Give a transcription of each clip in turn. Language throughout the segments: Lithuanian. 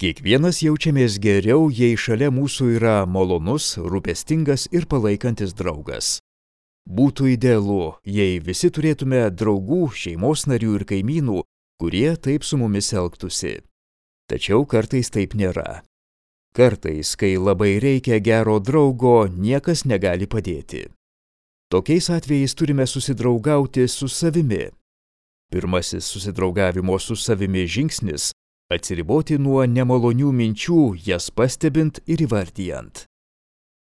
Kiekvienas jaučiamės geriau, jei šalia mūsų yra malonus, rūpestingas ir palaikantis draugas. Būtų idealu, jei visi turėtume draugų, šeimos narių ir kaimynų, kurie taip su mumis elgtųsi. Tačiau kartais taip nėra. Kartais, kai labai reikia gero draugo, niekas negali padėti. Tokiais atvejais turime susidraugauti su savimi. Pirmasis susidraugavimo su savimi žingsnis – atsiriboti nuo nemalonių minčių, jas pastebint ir įvardijant.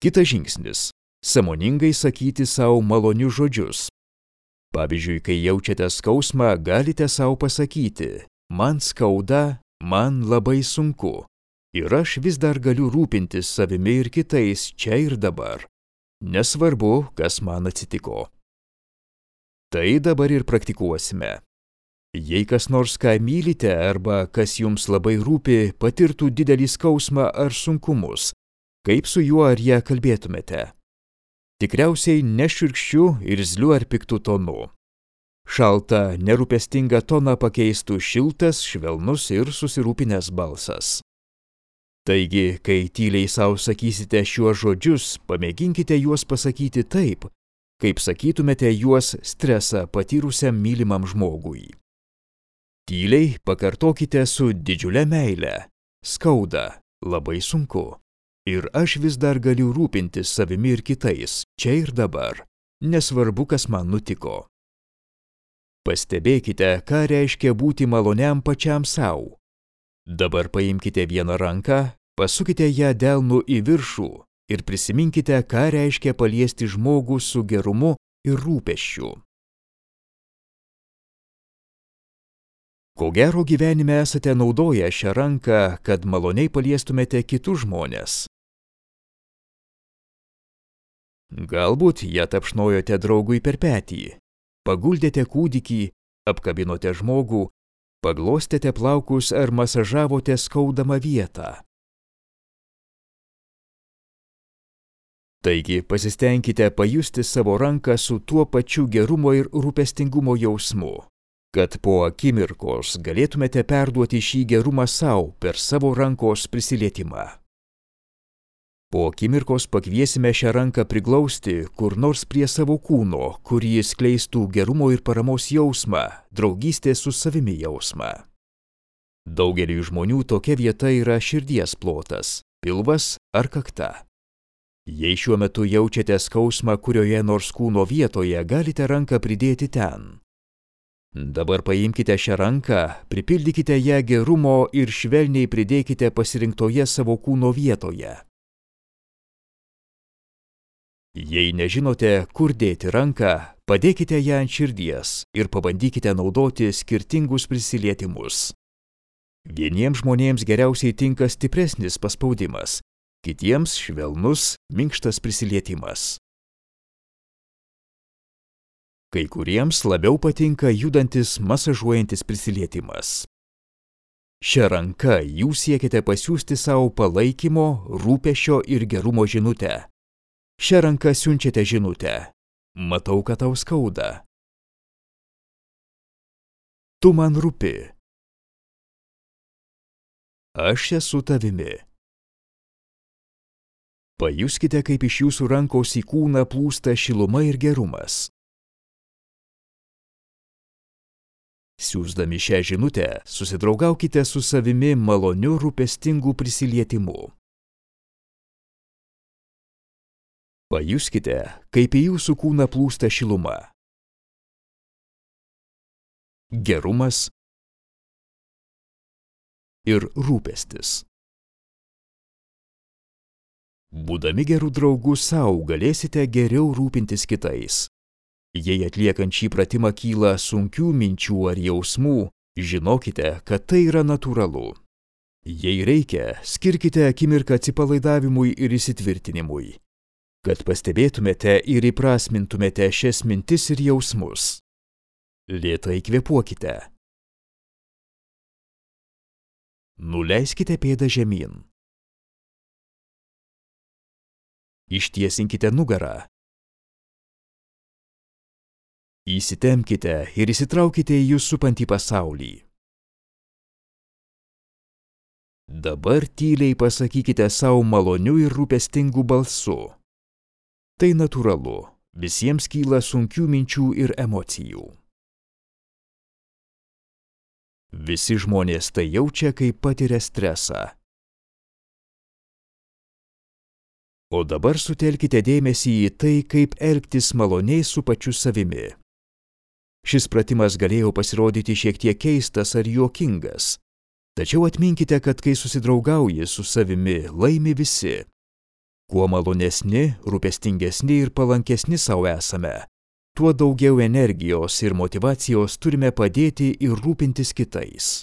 Kitas žingsnis – sąmoningai sakyti savo malonius žodžius. Pavyzdžiui, kai jaučiate skausmą, galite savo pasakyti: man skauda, man labai sunku. Ir aš vis dar galiu rūpintis savimi ir kitais čia ir dabar. Nesvarbu, kas man atsitiko. Tai dabar ir praktikuosime. Jei kas nors, ką mylite arba kas jums labai rūpi, patirtų didelį skausmą ar sunkumus, kaip su juo ar ją kalbėtumėte? Tikriausiai nešiurkščiu, irzliu ar piktu tonu. Šaltą, nerūpestingą toną pakeistų šiltas, švelnus ir susirūpinęs balsas. Taigi, kai tyliai savo sakysite šiuos žodžius, pamėginkite juos pasakyti taip, kaip sakytumėte juos stresą patyrusiam mylimam žmogui. Tyliai pakartokite su didžiule meile: skauda, labai sunku. Ir aš vis dar galiu rūpintis savimi ir kitais, čia ir dabar, nesvarbu, kas man nutiko. Pastebėkite, ką reiškia būti maloniam pačiam savo. Dabar paimkite vieną ranką, pasukite ją delnu į viršų ir prisiminkite, ką reiškia paliesti žmogų su gerumu ir rūpesčiu. Ko gero gyvenime esate naudoję šią ranką, kad maloniai paliestumėte kitus žmones. Galbūt ją tapšnojote draugui per petį, paguldėte kūdikį, apkabinote žmogų, paglostėte plaukus ar masažavote skaudamą vietą. Taigi pasistengkite pajusti savo ranką su tuo pačiu gerumo ir rūpestingumo jausmu, kad po akimirkos galėtumėte perduoti šį gerumą savo per savo rankos prisilietimą. Po akimirkos pakviesime šią ranką priglausti kur nors prie savo kūno, kur jis skleistų gerumo ir paramos jausmą, draugystės su savimi jausmą. Daugeliui žmonių tokia vieta yra širdies plotas, pilvas ar kakta. Jei šiuo metu jaučiate skausmą kurioje nors kūno vietoje, galite ranką pridėti ten. Dabar paimkite šią ranką, pripildykite ją gerumo ir švelniai pridėkite pasirinktoje savo kūno vietoje. Jei nežinote, kur dėti ranką, padėkite ją ant širdies ir pabandykite naudoti skirtingus prisilietimus. Vieniems žmonėms geriausiai tinka stipresnis paspaudimas, kitiems švelnus, minkštas prisilietimas. Kai kuriems labiau patinka judantis, masažuojantis prisilietimas. Šią ranką jūs siekite pasiųsti savo palaikymo, rūpesčio ir gerumo žinutę. Šią ranką siunčiate žinutę: matau, kad tau skauda. Tu man rūpi. Aš esu tavimi. Pajuskite, kaip iš jūsų rankos į kūną plūsta šiluma ir gerumas. Siųsdami šią žinutę, susidraugaukite su savimi maloniu rūpestingu prisilietimu. Pajuskite, kaip į jūsų kūną plūsta šiluma, gerumas ir rūpestis. Būdami gerų draugų sau, galėsite geriau rūpintis kitais. Jei atliekant šį pratimą kyla sunkių minčių ar jausmų, žinokite, kad tai yra natūralu. Jei reikia, skirkite akimirką atsipalaidavimui ir įsitvirtinimui, kad pastebėtumėte ir įprasmintumėte šias mintis ir jausmus. Lėtai kvėpuokite. Nuleiskite pėdą žemyn. Ištiesinkite nugarą. Įsitempkite ir įsitraukite į jus supantį pasaulį. Dabar tyliai pasakykite savo maloniu ir rūpestingu balsu. Tai natūralu, visiems kyla sunkių minčių ir emocijų. Visi žmonės tai jaučia, kai patiria stresą. O dabar sutelkite dėmesį į tai, kaip elgtis maloniai su pačiu savimi. Šis pratimas galėjo pasirodyti šiek tiek keistas ar juokingas. Tačiau atminkite, kad kai susidraugauji su savimi, laimi visi. Kuo malonesni, rūpestingesni ir palankesni savo esame, tuo daugiau energijos ir motyvacijos turime padėti ir rūpintis kitais.